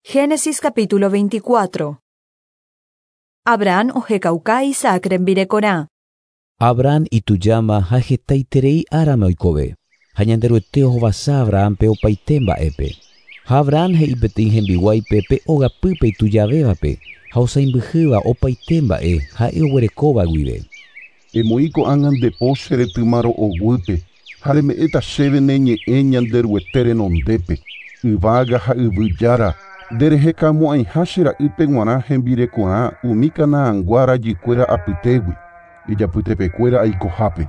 Génesis capítulo 24. Abraham ohekauka Isaac rembirekorã. Abraham itujáma ha hetaiterei árama oikove, ha Ñanderuete ohovasa Abrahampe opaite mba'épe. Ha Abraham he'i peteĩ hembiguáipe pe ogapýpe itujavévape ha osãimbyhýva opaite mba'e ha'e oguerekóva guive. Emoĩ ko'ág̃a nde po che retyma ro'oguýpe ha reme'ẽta chéve ne ñe'ẽ Ñanderuete renondépe, yvága ha yvy Jára, nderehekamo'ãiha che ra'ýpe g̃uarã hembirekorã umi Canaangua rajykuéra apytégui, ijapytepekuéra aikohápe.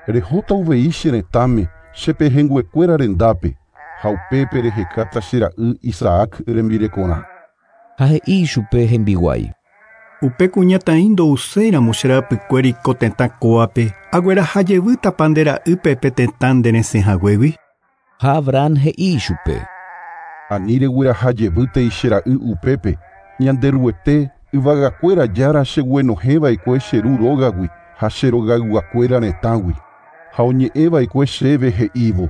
Rehóta uvei che retãme, che pehẽnguekuéra rendápe, ha upépe rehekáta che ra'y Isaac rembirekorã. Ha he'i ichupe hembiguái. Upe kuñataĩ ndouséiramo che rapykuéri ko tetã kóvape, agueraha jevýtapa nde ra'ýpe pe tetã nde resẽ haguégui. Ha Abraham he'i ichupe. Ani regueraha jevýtei che ra'y upépe, Ñanderuete, yvagakuéra Jára cheguenohẽva'ekue che ru rógagui ha che rogayguakuéra retãgui, ha oñe'ẽva'ekue chéve he'ívo,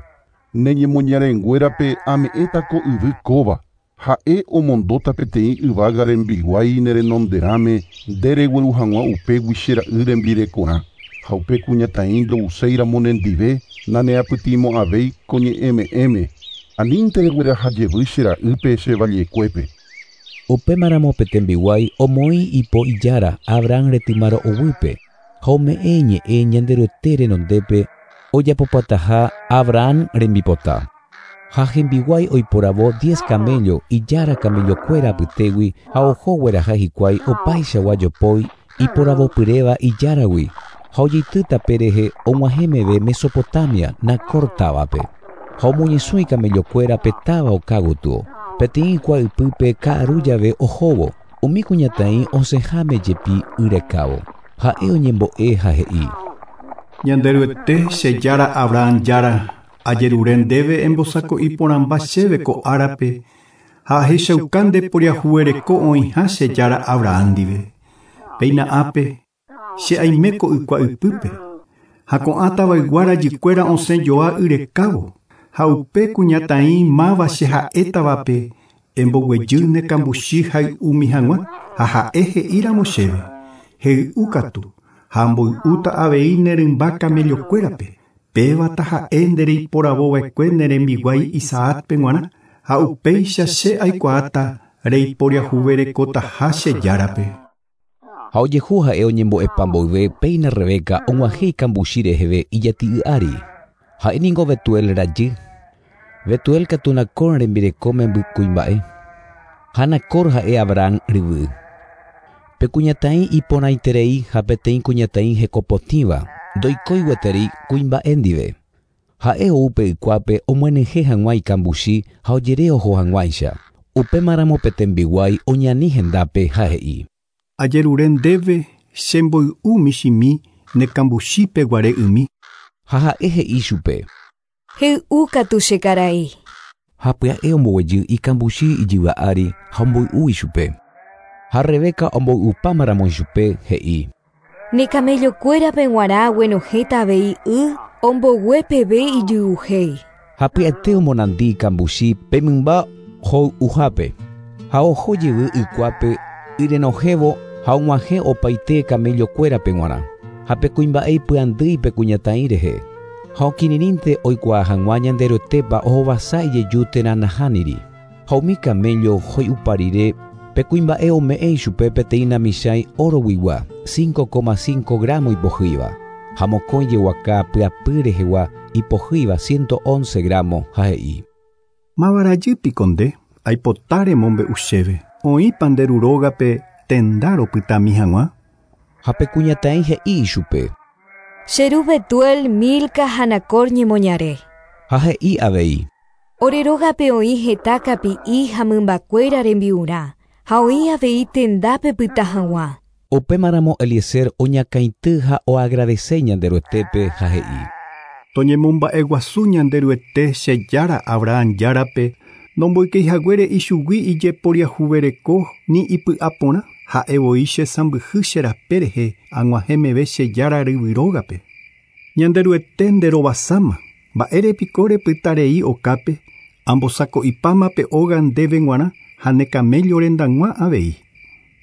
Ne ñemoñarenguérape ame'ẽta ko yvy kóva, ha'e omondóta peteĩ yvága rembiguái ne renonderãme nde regueru hag̃ua upégui che ra'y rembirekorã, ha upe kuñataĩ ndouséiramo nendive naneapytĩmo'ãvéi ko ñe'ẽme'ẽme, anínte regueraha jevy che ra'ýpe che vallekuépe. Upémaramo pe tembiguái omoĩ ipo ijára Abraham retyma ro'oguýpe ha ome'ẽ iñe'ẽ Ñanderuete renondépe ojapopataha Abraham rembipota. Ha hembiguái oiporavo diez camello ijára camellokuéra apytégui ha oho ogueraha hikuái opaichagua jopói iporavopyréva ijáragui ha ojeity tape rehe og̃uahẽ meve Mesopotamia, Nacor távape. Ha omoñesũ icamellokuéra pe táva oka gotyo, peteĩ ykua ypýpe ka'aru jave ohóvo, umi kuñataĩ osẽháme jepi y rekávo. Ha'e oñembo'e ha he'i. Ñanderuete, che Jára Abraham Jára, ajerure ndéve embosako'i porãmba chéve ko árape ha ahechauka nde poriahuvereko oĩha che Jára Abraham ndive. Péina ápe, che aime ko ykua ypýpe, ha ko'ã tavaygua rajykuéra osẽ joa y rekávo, ha upe kuñataĩ máva che ha'étavape emboguejy ne kambuchi hay'umi hag̃ua, ha ha'e he'íramo chéve, Hey'u katu, ha amboy'úta avei ne rymba camellokuérape, péva taha'e nde reiporavova'ekue ne rembiguái Isaácpe g̃uarã, ha upéicha che aikuaáta reiporiahuverekotaha che Járape. Ha ojehu ha'e oñembo'epa mboyve péina Rebeca og̃uahẽ ikambuchi reheve ijati'y ári. Ha'e ningo Betuel rajy. Betuel katu Nacor rembireko memby kuimba'e. Ha Nacor ha'e Abraham ryvy. Pe kuñataĩ iporãiterei ha peteĩ kuñataĩ hekopotĩva ndoikói gueteri kuimba'e ndive. Ha'e ou pe ykuápe omyenyhẽ hag̃ua ikambuchi ha ojere oho hag̃uáicha. Upémaramo pe tembiguái oñani hendápe ha he'i. Ajerure ndéve che mboy'u michĩmi ne kambuchípe guare ymi. Ha ha'e he'i chupe. Hey'u katu che karai. Ha pya'e omboguejy ikambuchi ijyva ári ha omboy'u ichupe. Ha Rebeca omboy'upámaramo ichupe, he'i. Ne camello-kuérape g̃uarã aguenohẽta avei y ombogue peve ijy'uhéi. Ha pya'ete omonandi ikambuchi pe mymba hoy'uhápe, ha oho jevy ykuápe y renohẽvo ha og̃uahẽ opaite camello-kuérape g̃uarã. Ha pe kuimba'e ipy'andýi pe kuñataĩ rehe, ha okirirĩnte oikuaa hag̃ua Ñanderuetépa ohovasa ijeju térã nahániri. Ha umi camello hoy'upa rire, pe kuimba'e ome'ẽ ichupe peteĩ namichãi óroguigua, 5,5 gramo ipohýiva, ha mokõi jeguaka pyapy rehegua ipohýiva 111 gramo, ha he'i. Máva rajy piko nde, aipota remombe'u chéve, oĩpa nde ru rógape tenda ropytami hag̃ua? Ha pe kuñataĩ he'i ichupe. Che ru Betuel, Milca ha Nacor ñemoñare. Ha he'i avei. Ore rógape oĩ heta kapi'i ha mymbakuéra rembi'urã, ha oĩ avei tenda pepyta hag̃ua. Upémaramo Eliezer oñakãity ha oagradese Ñanderuetépe ha he'i. Toñemomba'eguasu Ñanderuete che Jára Abraham Járape, nomboykéi haguére ichugui ijeporiahuvereko ni ipy'aporã, ha'e voi che sãmbyhy che rape rehe ag̃uahẽ meve che Jára ryvy rógape. Ñanderuete nde rovasáma, mba'ére piko repyta rei okápe, ambosako'ipáma pe óga ndéve g̃uarã Ha ne camello rendag̃ua avei.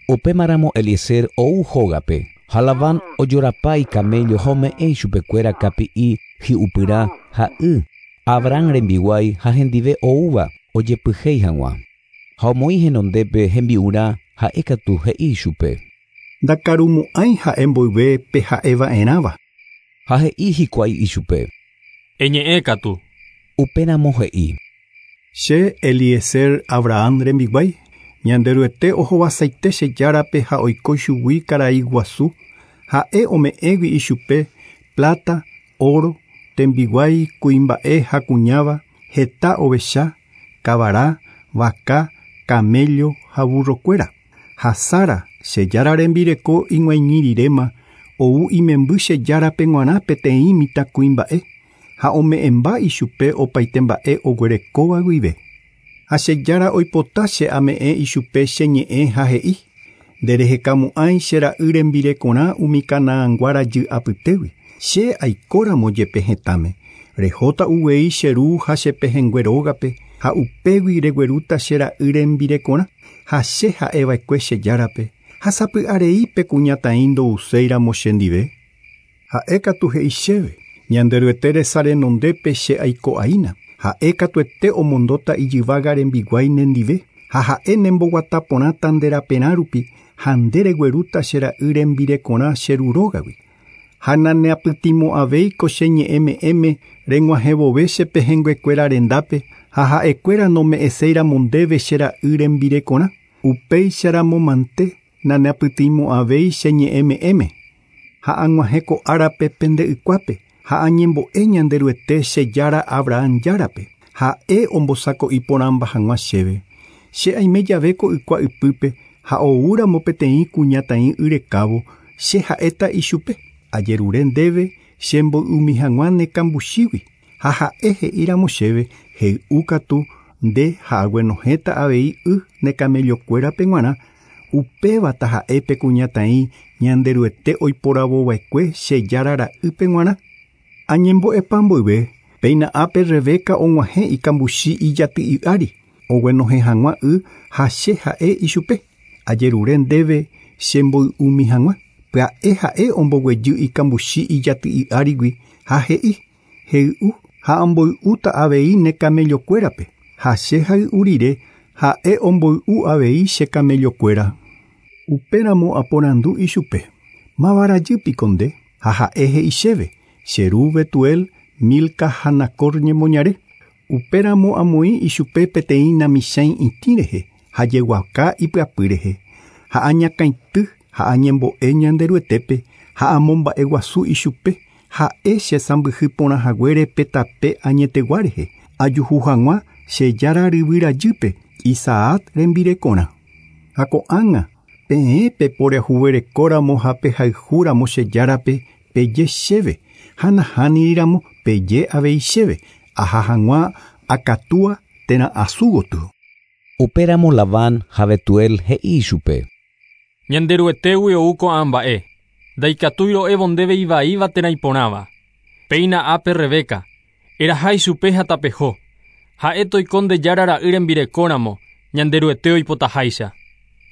Upémaramo Eliezer ou hógape ha Labán ojorapa icamello ha ome'ẽ ichupekuéra kapi'i hi'upyrã ha y Abraham rembiguái ha hendive oúva ojepyhéi hag̃ua. Ha omoĩ henondépe hembi'urã ha'e katu he'i ichupe. Ndakarumo'ãi ha'e mboyve pe ha'eva'erãva. Ha he'i hikuái ichupe. Eñe'ẽ katu. Upéramo he'i. Che Eliezer Abraham rembiguái, Ñanderuete ohovasaite che járape ha oiko chugui karai guasu, ha'e ome'ẽgui ichupe plata, oro, tembiguái, kuimba'e ha kuñáva, heta ovecha, kavara, vaka, camello ha burrokuéra. Ha Sara, che jára rembireko ig̃uaig̃ui riréma, ou imemby che járape g̃uarã peteĩ mitãkuimba'e ha ome'ẽmba ichupe opaite mba'e oguerekóva guive. Ha che jára oipota che ame'ẽ ichupe che ñe'ẽ ha he'i, nderehekamo'ãi che ra'y rembirekorã umi Canaangua rajy apytégui, che aikóramo jepe hetãme, rehóta uvei che ru ha che pehẽngue rógape ha upégui reguerúta che ra'y rembirekorã ha che ha'eva'ekue che járape ha sapy'arei pe kuñataĩ ndouséiramo chendive. Ha'e katu he'i chéve, Ñanderuete resa renondépe che aiko'aína, ha'e katuete omondóta ijyvága rembiguái nendive ha ha'e nemboguata porãta nde raperã rupi ha nde reguerúta che ra'y rembirekorã che ru rógagui. Ha naneapytĩmo'ãvéiko che ñe'ẽme'ẽme reg̃uahẽvove che pehẽnguekuéra rendápe ha ha'ekuéra nome'ẽséiramo ndéve che ra'y rembirekorã, upéicharamo mante naneapytĩmo'ãvéi che ñe'ẽme'ẽme. Ha ag̃uahẽ ko árape pende ykuápe ha añembo'e Ñanderuete che jára Abraham járape, ha'e ombosako'i porãmba hag̃ua chéve. Che aime jave ko ykua ypýpe ha oúramo peteĩ kuñataĩ yrekávo, che ha'éta ichupe, ajerure ndéve chemboy'umi hag̃ua ne kambuchígui, ha ha'e he'íramo chéve hey'u katu nde ha aguenohẽta avei y ne camellokuérape g̃uarã, upévata ha'e pe kuñataĩ Ñanderuete oiporavova'ekue che jára ra'ýpe g̃uarã. Añembo'epa mboyve, péina ápe Rebeca og̃uahẽ ikambuchi ijaty'i ári, oguenohẽ hag̃ua y ha che ha'e ichupe, ajerure ndéve chemboy'umi hag̃ua. Pya'e ha'e omboguejy ikambuchi ijaty'i árigui ha he'i, hey'u ha amboy'úta avei ne camellokuérape, ha che hay'u rire ha'e omboy'u avei che camellokuéra. Upéramo aporandu ichupe, máva rajýpiko nde? Ha ha'e he'i chéve, che ru Betuel, Milca ha Nacor ñemoñare. Upéramo amoĩ ichupe peteĩ namichãi itĩ rehe ha jeguaka ipyapy rehe, ha añakãity ha añembo'e Ñanderuetépe ha amomba'eguasu ichupe, ha'e che sãmbyhy porã haguére pe tape añetegua rehe, ajuhu hag̃ua che jára ryvy rajýpe Isaac rembirekorã. Ha ko'ág̃a peẽ peporiahuverekóramo ha pehayhúramo che járape peje chéve, ha nahániramo peje avei chéve, aha hag̃ua akatúa térã asu gotyo. Upéramo Labán ha Betuel he'i ichupe. Ñanderuetégui ou ko'ã mba'e, ndaikatúi ro'évo ndéve ivaíva térã iporãva. Péina ápe Rebeca, eraha ichupe ha tapeho, ha'e toiko nde jára ra'y rembirekóramo, Ñanderuete oipotaháicha.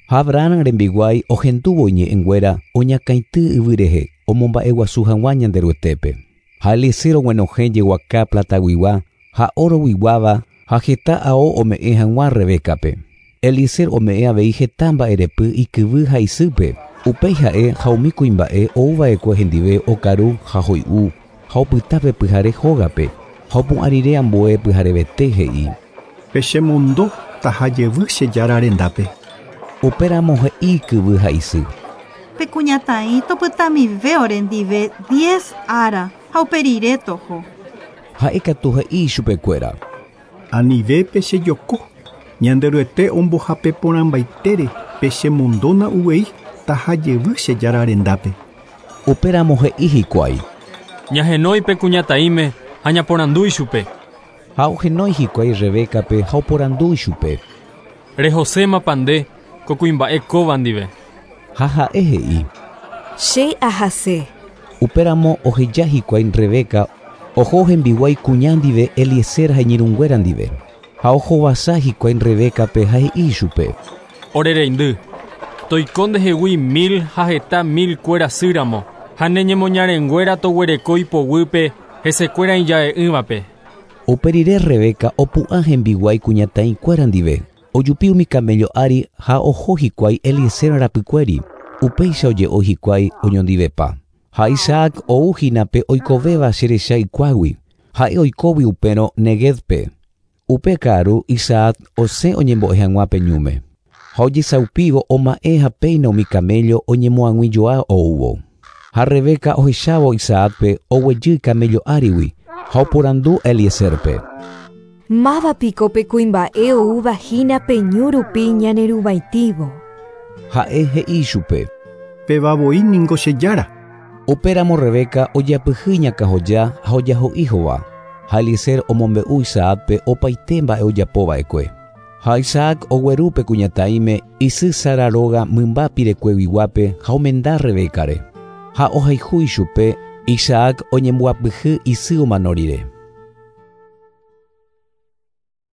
Ha Abraham rembiguái ohendúvo iñe'ẽnguéra oñakãity yvy rehe omomba'eguasu hag̃ua Ñanderuetépe. Ha Eliezer oguenohẽ jeguaka plataguigua ha oroguiguáva ha heta ao ome'ẽ hag̃ua Rebecape. Eliezer ome'ẽ avei heta mba'erepy ikyvy ha isýpe, upéi ha'e ha umi kuimba'e ouva'ekue hendive okaru ha hoy'u ha opyta pe pyhare hógape ha opu'ã rire ambue pyharevete he'i. Pechemondo tahajevy che jára rendápe. Upéramo he'i ikyvy ha isy. Pe kuñataĩ topytamive orendive 10 ára ha uperire toho. Ha'e katu he'i ichupekuéra. Anive pechejoko, Ñanderuete ombohape porãmbaitére pechemondóna uvei tahajevy che jára rendápe. Upéramo he'i hikuái. Ñahenói pe kuñataĩme ha ñaporandu ichupe. Ha ohenói hikuái Rebecape ha oporandu ichupe. Rehosémapa nde ko kuimba'e kóva ndive. Ha ha'e he'i. Che ahase. Upéramo oheja hikuái Rebeca oho hembiguái kuña ndive Eliezer ha iñirũnguéra ndive. Ha ohovasa hikuái Rebécape ha he'i chupe. Ore reindy, toiko ndehegui mil ha heta mil kuéra sýramo, ha ne ñemoñarenguéra toguereko ipoguýpe hesekuéra ija'e'ỹvape. Upe rire Rebeca opu'ã hembiguái kuñataĩkuéra ndive, ojupi umi camello ári ha oho hikuái Eliezer rapykuéri, upéicha oje'o hikuái oñondivepa. Ha Isaac ou hína pe oikovéva cherecha ikuágui, ha'e oikógui upérõ Neguevpe. Upe ka'aru Isaac osẽ oñembo'e hag̃ua pe ñúme. Ha ojesaupívo oma'ẽ ha péina umi camello oñemoag̃uijoa oúvo. Ha Rebeca ohechávo Isaacpe oguejy camello árigui ha oporandu Eliezerpe. Máva piko pe kuimba'e oúva hína pe ñu rupi ñaneruvaitívo. Ha'e he'i chupe. Péva voi ningo che jára. Upéramo Rebeca ojapyhy iñakãhoja ha ojaho'i hova. Ha Eliezer omombe'u Isaacpe opaite mba'e ojapova'ekue. Ha Isaac ogueru pe kuñataĩme isy Sara róga mymba pirekueguiguápe ha omenda Rebécare. Ha ohayhu ichupe, Isaac oñemboapyhy isy omano rire.